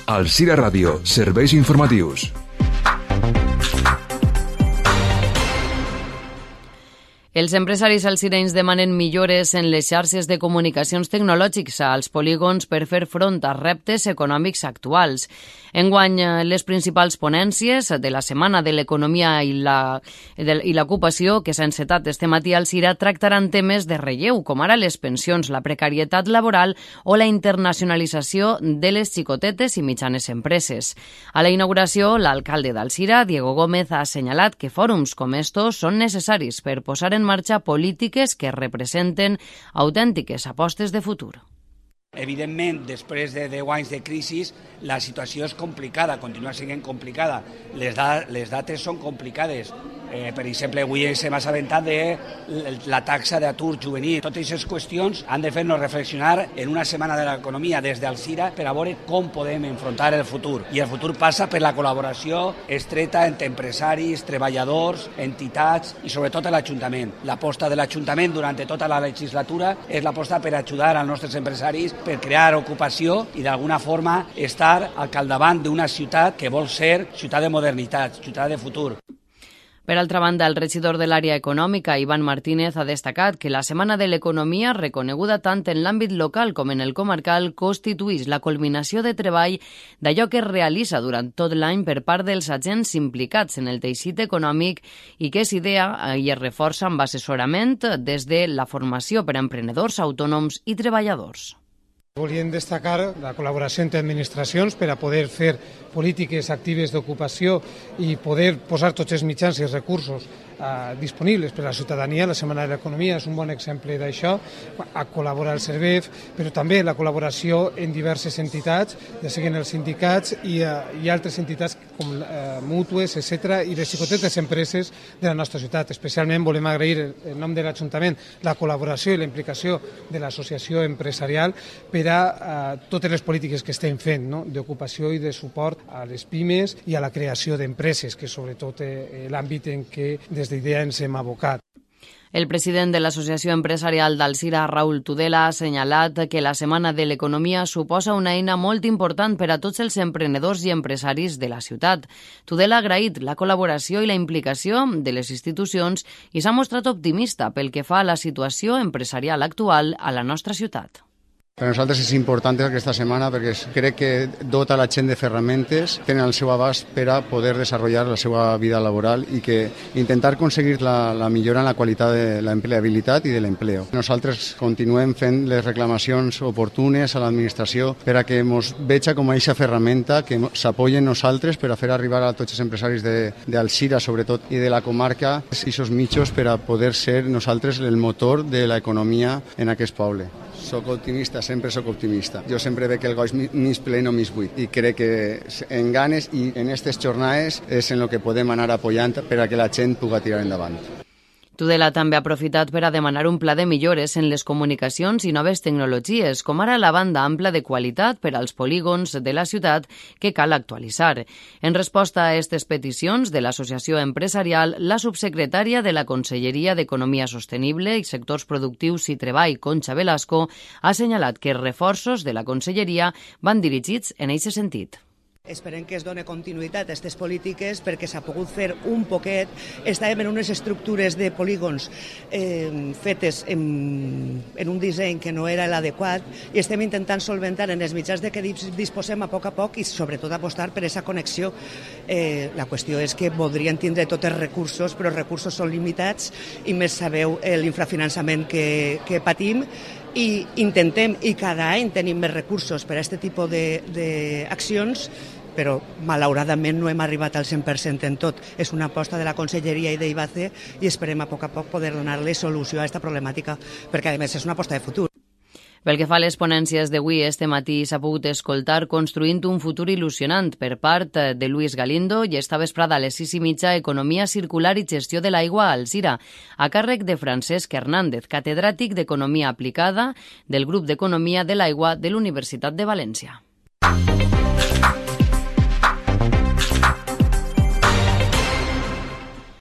Alzira Ràdio, serveis informatius. Els empresaris alzirenys demanen millores en les xarxes de comunicacions tecnològics als polígons per fer front a reptes econòmics actuals. Enguany, les principals ponències de la Setmana de l'Economia i l'Ocupació, que s'ha encetat este matí a Alzira, tractaran temes de relleu, com ara les pensions, la precarietat laboral o la internacionalització de les xicotetes i mitjanes empreses. A la inauguració, l'alcalde d'Alzira, Diego Gómez, ha assenyalat que fòrums com estos són necessaris per posar en marxa polítiques que representen autèntiques apostes de futur. Evidentment, després de 10 anys de crisi, la situació és complicada, continua sent complicada. Les dates són complicades. Per exemple, avui s'hem assabentat de la taxa d'atur juvenil. Totes aquestes qüestions han de fer-nos reflexionar en una setmana de l'economia des d'Alzira per a veure com podem enfrontar el futur. I el futur passa per la col·laboració estreta entre empresaris, treballadors, entitats i sobretot l'Ajuntament. L'aposta de l'Ajuntament durant tota la legislatura és l'aposta per ajudar als nostres empresaris per crear ocupació i d'alguna forma estar al capdavant d'una ciutat que vol ser ciutat de modernitat, ciutat de futur. Per altra banda, el regidor de l'àrea econòmica, Iván Martínez, ha destacat que la Setmana de l'Economia, reconeguda tant en l'àmbit local com en el comarcal, constituïx la culminació de treball d'allò que es realitza durant tot l'any per part dels agents implicats en el teixit econòmic i que és idea i es reforça amb assessorament des de la formació per a emprenedors, autònoms i treballadors. Volíem destacar la col·laboració entre administracions per a poder fer polítiques actives d'ocupació i poder posar tots els mitjans i els recursos disponibles per a la ciutadania. La Setmana de l'Economia és un bon exemple d'això, a col·laborar el CERVEF, però també la col·laboració en diverses entitats, ja siguin els sindicats i altres entitats com mútues, etc., i les xicotetes empreses de la nostra ciutat. Especialment volem agrair en nom de l'Ajuntament la col·laboració i la implicació de l'associació empresarial per a totes les polítiques que estem fent, no?, d'ocupació i de suport a les pimes i a la creació d'empreses, que sobretot l'àmbit en què des d'IDEA ens hem abocat. El president de l'Associació Empresarial d'Alzira, Raúl Tudela, ha assenyalat que la Setmana de l'Economia suposa una eina molt important per a tots els emprenedors i empresaris de la ciutat. Tudela ha agraït la col·laboració i la implicació de les institucions i s'ha mostrat optimista pel que fa a la situació empresarial actual a la nostra ciutat. Per nosaltres és important aquesta setmana perquè crec que dota la gent de ferramentes, tenen el seu abast per a poder desenvolupar la seva vida laboral i que intentar aconseguir la millora en la qualitat de l'empleabilitat i de l'empleo. Nosaltres continuem fent les reclamacions oportunes a l'administració per a que ens veja com a aquesta ferramenta que s'apoyen nosaltres per a fer arribar a tots els empresaris d'Alzira, sobretot, i de la comarca, aquests mitjans per a poder ser nosaltres el motor de l'economia en aquest poble. Soc optimista, sempre soc optimista. Jo sempre veig el goig mig ple, no mig buit. I crec que en ganes i en aquestes jornades és en el que podem anar apoyant per a que la gent pugui tirar endavant. Tudela també ha aprofitat per a demanar un pla de millores en les comunicacions i noves tecnologies, com ara la banda ampla de qualitat per als polígons de la ciutat que cal actualitzar. En resposta a aquestes peticions de l'Associació Empresarial, la subsecretària de la Conselleria d'Economia Sostenible i Sectors Productius i Treball, Concha Velasco, ha assenyalat que els reforços de la Conselleria van dirigits en aquest sentit. Esperem que es doni continuïtat a aquestes polítiques perquè s'ha pogut fer un poquet. Estàvem en unes estructures de polígons fetes en un disseny que no era l'adequat i estem intentant solventar en els mitjans de què disposem a poc i sobretot apostar per aquesta connexió. La qüestió és que voldrien tindre tots els recursos, però els recursos són limitats i més sabeu l'infrafinançament que patim. I intentem, i cada any tenim més recursos per a aquest tipus d'accions, però malauradament no hem arribat al 100% en tot. És una aposta de la Conselleria i d'IBACE i esperem a poc poder donar-li solució a aquesta problemàtica, perquè a més és una aposta de futur. Pel que fa a les ponències d'avui, este matí s'ha pogut escoltar Construint un futur il·lusionant per part de Luis Galindo i esta vesprada a les 6:30 Economia circular i gestió de l'aigua a Alzira, a càrrec de Francesc Hernández, catedràtic d'Economia aplicada del grup d'Economia de l'Aigua de l'Universitat de València.